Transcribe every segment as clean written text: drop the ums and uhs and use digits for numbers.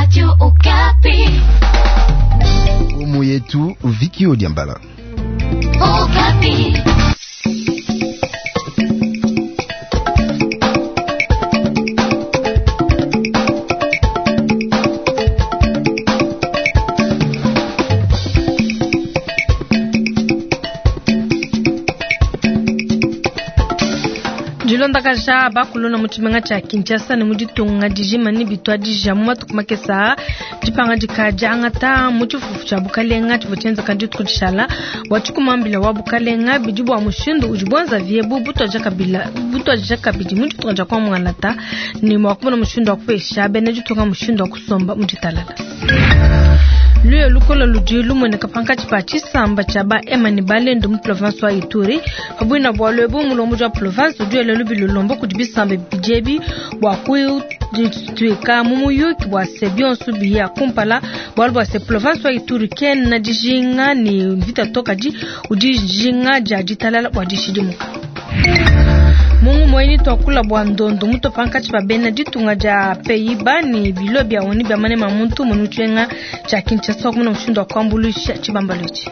Radio Okapi. Omo yetu Viki Odiambala. Okapi. Dilondakaja bakuluna mu tshimenga tshia Kinshasa ne mu ditunga dijima ne bituadija mu matuku makese aa. Dipangadika diangata mu tshifufu tshia bukalenga tshivua tshienzeka dituku dishala bua tshikumambila wa bukalenga bidi bua mushindu udi buenzavi ebu butuadija kabila butuadija kabidi mu ditunga dia kwa muangalata ne mua kumona mushindu wa kupesha bena ditunga mushindu wa kusomba mu ditalala. Luya lukola ludi lumueneka pankatshi pa tshisamba tshia ba Hema ne Balendu mu province wa Ituri. Pabuina bualu ebu, mulombodi wa province udi wela lubi lulomba kudi bisamba bibidi ebi bua kudituika mu muyuki bua se bionso biya kumpala, bualu bua se province wa Ituri kena dijinga ne mvita to, kadi udi dijinga dia ditalala bua dishidimuka. Mungu moyini tuakula bua ndondo muto pankatshi pa bena ditunga dia Pays-Bas ne bilo bia ONU bia manema muntu munu tshienga tshia Kinshasa kumuna mushindu wa kuambuluisha tshibambalu etshi.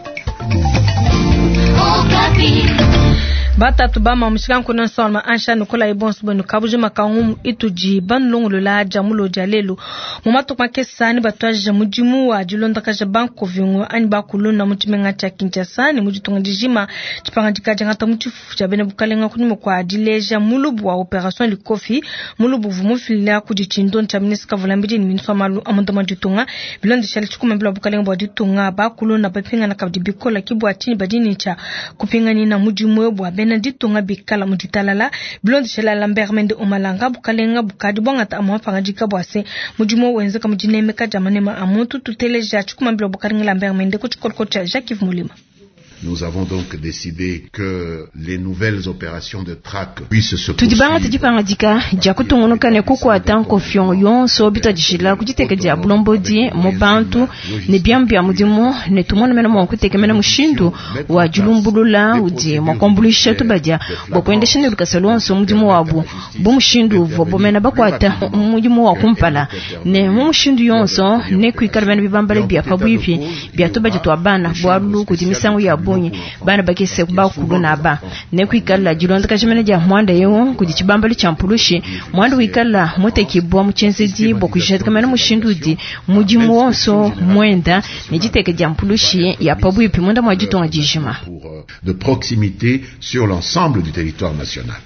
Batatu ba mamushika nkuna nsolma ansha nukola ibonso bwenu kabujima kangumu itudi banulongolola dia mulo dia lelu. Mu matuku makese ne batuadija mudimu wa dilondakaja bankovingo anyi bakuluna mu tshimenga tshia Kinshasa ne mu ditunga dijima. Tshipangadika diangata mu tshifufu tshia bena bukalenga kunyima kua dileja mulubu wa Operation Likofi, mulubu uvua mufila kudi tshindondi tshia ministre Kavulambidi ne ministre wa malu a munda mua ditunga. Bilondeshele tshikumambila wa bukalenga bua ditunga, bakuluna bapingana kabidi bikola ki bua tshinyi badi ne tshia kupinganina mudimu eu bua bena ditunga bikala mu ditalala. Bilondeshele Lambert Mende Omalanga, bukalenga bukadi buangata amue mapangadika bua se mudimu wenzeka mu dinemeka dia manema a muntu. Tuteleja tshikumambila wa bukalenga Lambert Mende ku tshikoloko tshia Jacques Mulima. Nous avons donc décidé que les nouvelles opérations de traque puissent se Tudi bangate poursuivre. dipangadika dia kutungunuka ne kukuata nkofio yonso bituadijila ku diteka dia bulombodi mu bantu ne biamu bia mudimu ne tumone mena mua kutekemena mushindu wa dilumbulula udi mua kuambuluisha tubadia bua kuendesha ne lukasa luonso mudimu wabu bu mushindu uvua bomena bakuata mudimu wa kumpala ne mu mushindu yonso ne kuikala bena bibambala bia pabuipi bia tubadia tua bana bualu kudi misangu ya bungi bana bakese bakulu naba ne kuikala dilondakaja mena dia muanda eu kudi tshibambalu tshia mpulushi muanda wikala mutekibua mu tshienzedi bua kujadika mena mushindu udi mudimu wonso muenda ne diteka dia mpulushi ya pabuipi munda mua ditunga dijima. Pour, de proximité sur l'ensemble du territoire national.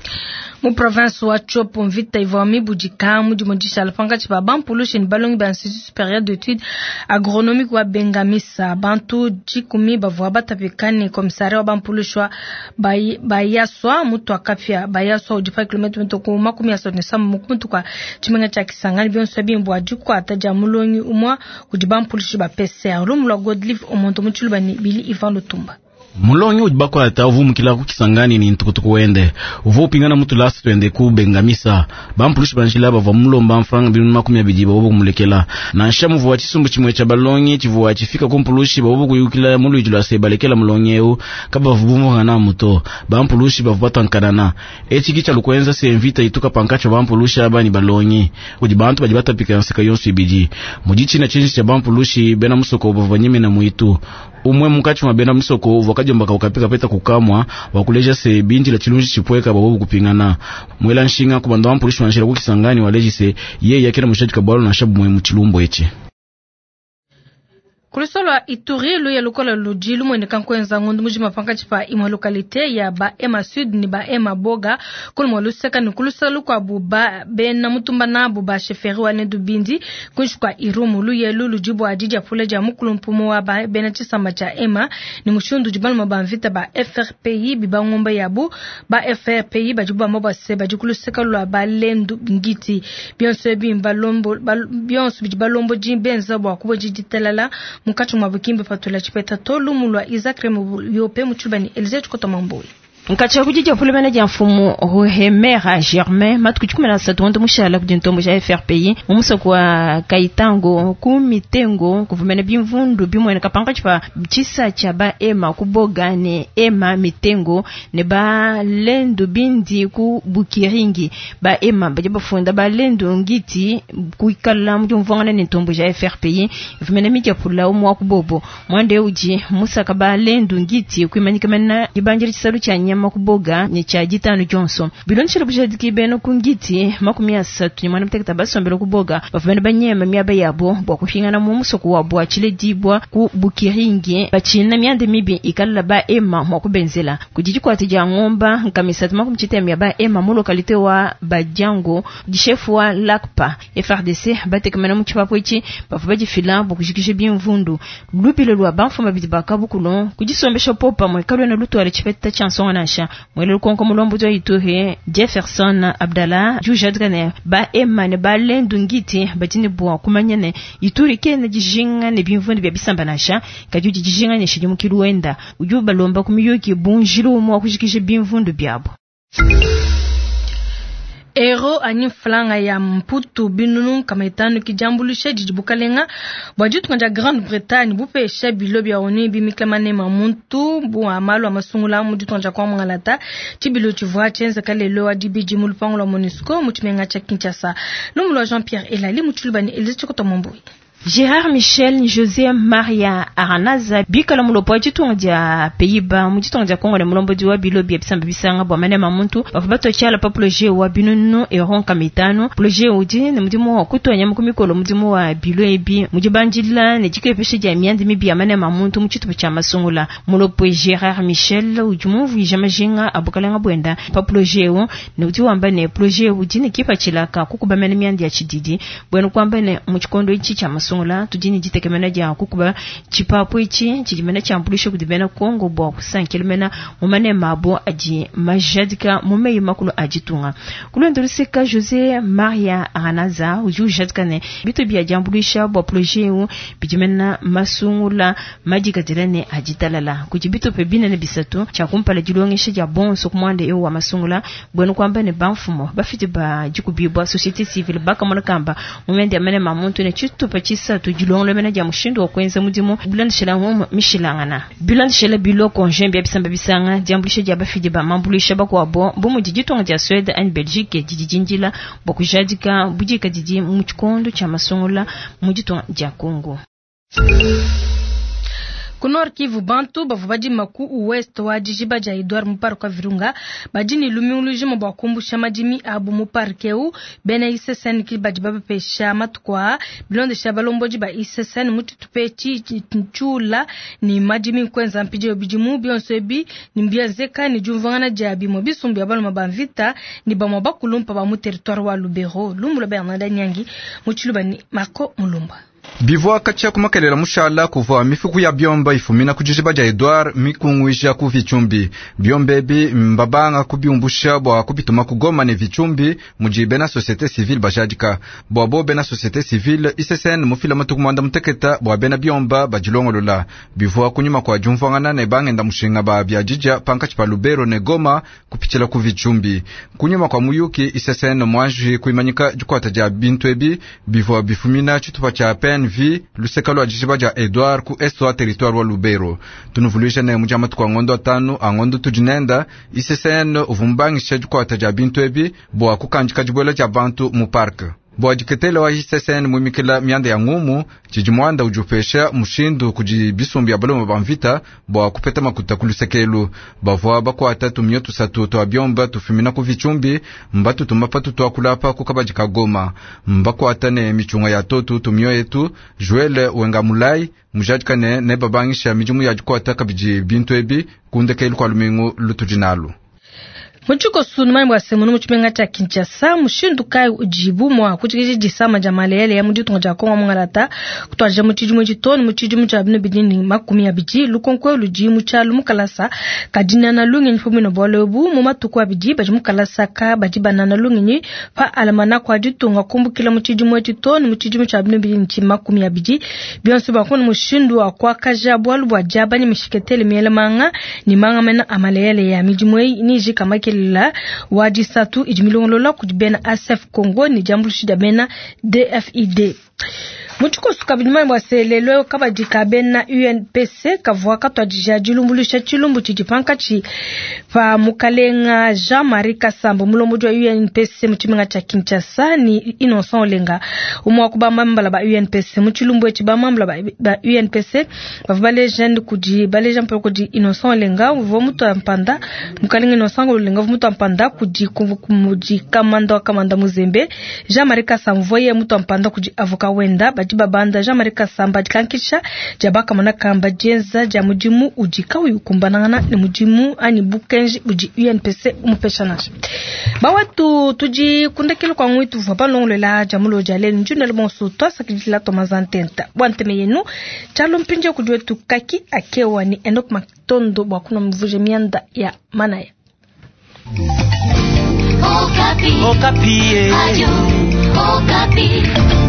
Mu province wa Tshopo mvita ivua mibudika mudimu dishala pankatshi pa bampulushi ne balongi ba Institut supérieur d'études agronomique wa Bengamisa. Bantu dikumi bavua batapika ne komisaria wa bampulushi wa Bayaswa mutu akapia. Bayaswa udi pa kilomita mituku 37 mu kumutu kwa tshimenga tshia Kisangani. Bionso ebi mbua dikuata dia mulongi umua kudi bampulushi ba PCR. Lumu lua Godlive Omonto mu Tshiluba ne Bili Ivan Lutumba. Mulongi udi bakwata uvumukila ku Kisangani ni ntukutuku wende uvu upingana mutu lasi twende ku Bengamisa. Bampulushi banjila bavua mulomba mfranga 200 babo kumulekela. Nansha muvua tshisumbu tshimue tshia balongi tshivua tshifika ku mpulushi babo kuyukila muluidi lwa se balekela mulongi eu kabavu bumvungana muto. Bampulushi bavua batankanana etshi ki tsha se mvita ituka pankatshi bampulushi aba ni balongi kudi bantu badi batapika nseka yonso ibidi mudi tshina tshinji tshia bampulushi bena musoko bavua nyemena muitu umwe munkatshi mwa bena musoko uvua kadiombaka ukapika peta kukamwa wakuleja se bindila tshilunji tshipweka babo kupingana mwela nshinga kubanda wampulushi wanjila ku Kisangani waleji se yeye yakena mushadika bwalo na shabu mwe mu echi. Kulusolo Ituri luya lukola ludi lumueneka nkuenza ngondu mujima pankatshi pa imue localité ya ba Ema Sud ni ba Ema Boga kulumua luseka ne kulusala lukuabu ba bena mutumba nabu ba chefferie wa Lendu Bindi kunshi kua Irumu. Luyelu ludi bua didiapula dia mukulu mpumu wa ba bena tshisamba tshia Ema ne mushindu udi baluma ba mvita ba FRPI bibangomba yabu ba FRPI badi bamba bua se badi kuluseka lua ba Lendu Ngiti bionso ebi mbalombo bionso bidi balombodi benza bua kubodi ditalala munkatshi mua bukimbe patula tshipeta to lumu lua Isaac Remo yope mu Tshiluba ne Elise Tshikota Mamboyi. Nkatsha kudi dia pulumena dia mfumu Ruhemera Germain matuku 13 ngondo mushala kudi ntombo ja FRPI mu musoko wa Kaitango ku mitengo kuvumena bimvundu bimwene kapanga tshipa tshisa tshia ba ema kuboga ne ema mitengo ne ba lendu bindi ku Bukiringi ba ema badi bafunda ba lendu ngiti kuikala mu diumvuangana ne ntombo ja FRPI vumena midia pula umwa kubobo mwande uji musaka ba lendu ngiti kuimanyika mena dibanjira tshisalu tshia nyama makuboga ne tshia ditanu Johnson bilonshela bujadiki beno kungiti 30 ni mwana mteketa basombela kuboga bavumene banyema miaba yabo bwa kuhingana mu musoko wa bwa chiledibwa ku Bukiringi bachina myande mibi ikala ba ema mwa kubenzela kujijikwati ja ngomba nkamisatu makumchita ba ema mu lokalite wa Bajango dishefu wa Lakpa FRDC batekamana mu chipapo ichi bavuba jifila bukujikishe bimvundu lubilo lwa banfuma bidibaka bukulon kujisombesha popa mwekalwe na lutwale chipeta chansonga nasha mwele lukonko mulombo jwa ituhe Jefferson Abdallah jujadgane ba ema ne ba lendu ngiti batini bwa kumanyane ituri kene jijinga ne bimvundu bya bisamba nasha kajuji jijinga ne shidimu kiluenda ujuba lomba kumiyuki bunjilu mwa kujikishe bimvundu byabo. Ero anyi flanga ya mputu binunu kama itanu kijambulisha jijibukalenga bwa jitu kanja Grande Bretagne bupesha bilo bya oni bimiklamane mamuntu bu amalu amasungula mu jitu kanja kwa mwangalata chibilo chivwa chenza kalelo wa dibiji mu lupango lwa MONUSCO mu chimenga cha Kinshasa. Lumulwa Jean-Pierre Elali mu chulubani Elise Chikoto Mombui. Gérard Michel José Maria Aranaza bikala mulopo wa ditunga dia Pays-Bas mu ditunga dia Congo ne mulombo wa bilo bia bisamba bisanga bwa manema muntu bavua batochala pa projet wa binunu eron kamitano projet udi ne mudimu wa kutonya mu kumikolo mudimu wa bilo ebi mudi banjila ne dikepesha dia miandi mibi ya manema muntu mu tshitupa tshia masungula mulopo Gérard Michel udi mumvuija majinga abukalenga bwenda pa projet u ne udi wamba ne projet udi ne kipatshilaka kukubamena miandi ya tshididi bwenu kwamba ne mu tshikondo itshi tshia masungula tudini ditekemena dia kukuba tshipapu itshi tshidimena tshiambulisha kudi bena Kongo bua kusankela mu manema abo adi majadika mu meyi makulu a ditunga. Kulwendo luseka José Maria Aranaza udi ujadika ne bitu bia diambulisha bua projet u bidimena masungula madikadila ne aditalala kudi bitupe binene bisatu tshia kumpala dilongesha dia bonso kumwanda eu wa masungula bwenu kwamba ne bamfumo bafiti ba dikubibwa société civile bakamona kamba mumende ya manema muntu ne tshitupa tshisatu dilongolo mena dia mushindu wa kuenza mudimu bilandishela ngomo mishilangana bilandishela biloko njembe ya bisamba bisanga diambulisha dia bafidi ba mambulisha bakwabo bu mudi ditunga dia Suède and Belgique didi dindila bua kujadika budika didi mu tshikondo tshia masungula mu ditunga dia Congo. Ku Nord Kivu bantu bavua badima ku ouest wa dijiba dia Edouard mu parc wa Virunga badi ne lumingu lujima bua kumbusha madimi abu mu parc eu bena ISSN ki badi babapesha matuku aa bilondesha balombodi ba ISSN mu tshitupa tshula ni madimi kwenza mpidio bidimu bionso ebi ni mbienzeka ni diumvuangana dia bimue bisumbu bia baluma ba mvita ni bamue bakulumpa ba mu territoire wa Lubero. Lumbula Bernard Nyangi mu tshiluba ni Marco Mulumba. Bivua katshia kumakelela mushala kuvua mifuku ya biomba ifumina ku dijiba dia Edouard mikunguija ku Vitshumbi. Biomba ebi mbabanga kubiumbusha bua kubituma ku Goma ne Vitshumbi mudi bena société civile bajadika. Bua bo bena société civile ISSN mufila matuku mwanda muteketa bua bena biomba badilongolola. Bivua kunyuma kua diumvuangana ne bangenda mushinga ba bia didja pankatshi pa Lubero ne Goma kupitshila ku Vitshumbi. Kunyuma kua muyuki ISSN muanji kuimanyika dikuata dia bintu ebi bivua bifumina tshitupa tshia PNV luseka lwa dijiba dia Edouard ku est wa territoire wa Lubero. Tunuvuluisha ne mudi matuku a ngondo atanu a ngondo tudinenda ISSN uvumbangisha dikuata dia bintu ebi bua kukandika dibuela dia bantu mu parc. Bua diketela wa ISSN muimikila mianda ya ngumu tshidi muanda udi upesha mushindu kudi bisumbu ya baloma ba mvita bua kupeta makuta ku lusekelu. Bavua bakuata tumio tusatu tua biomba tufumina ku Vitshumbi mbatutuma patu tuakulapa ku kabadi ka Goma. Mbakuata ne michunga ya totu tumio etu Joel Wengamulai mujadika ne ne babangisha midimu ya dikuata kabidi bintu ebi kundekelu kua lumingu lutudi nalu. Mu tshikoso numanye bua se munu mu tshimenga tshia Kinshasa mushindu kayi udibu mua kujikija disama dia malele mu ditunga dia Kongo mungalata kutuadija mu tshidimu etshi too ne mu tshidimu tshia 2020. Lukonko ludi mu tshialu mu kalasa ka dinana lungenyi pa buina bualu ebu mu matuku abidi badi mu kalasa ka badi banana lungenyi pa almanach wa ditunga kumbukila mu tshidimu etshi too ne mu tshidimu tshia 2020. Bionso bua kumona mushindu wa kuakaja bualu bua diabanya mishiketele miela manga ne manga mena a maleyale ya midimu eyi nijika makelela wa disatu idi milongolola kudi bena ASF Congo ne diambuluisha dia bena DFID. Mu tshikoso kabidi manya bua se lelo kabadi ka bena UNPC kavua katuadija dilumbuluisha tshilumbu tshidi pankatshi pa mukalenga Jean-Marie Kasamba mulombodi wa UNPC mu tshimenga tshia Kinshasa ne Innocent Olenga umue wa ku bamambala ba UNPC. Mu tshilumbu etshi bamambala ba UNPC bavua baleja kudi baleja mpala kudi Innocent Olenga uvua mutua mpanda mukalenga Innocent Olenga uvua mutua mpanda kudi kudi kamanda wa kamanda Muzembe. Jean-Marie Kasamba uvua yeye mutua mpanda kudi avocat wenda. Badi babanda Jean-Marie Kasamba dikankisha dia bakamona kamba dienza dia mudimu udi kauyi ukumbanangana ne mudimu anyi bukenji budi UNPC umupesha nansha. Bawatu tudi kundekela kwa ngwitu vua balongolola dia mulo dia lelu njunele bonso twasakidila tomazantenta bua nteme yenu tshalo mpindia kudi wetu kaki akewa ni Enoch Matondo bua kuna mvuje mianda ya manaya. Okapi. Okapi. Radio Okapi.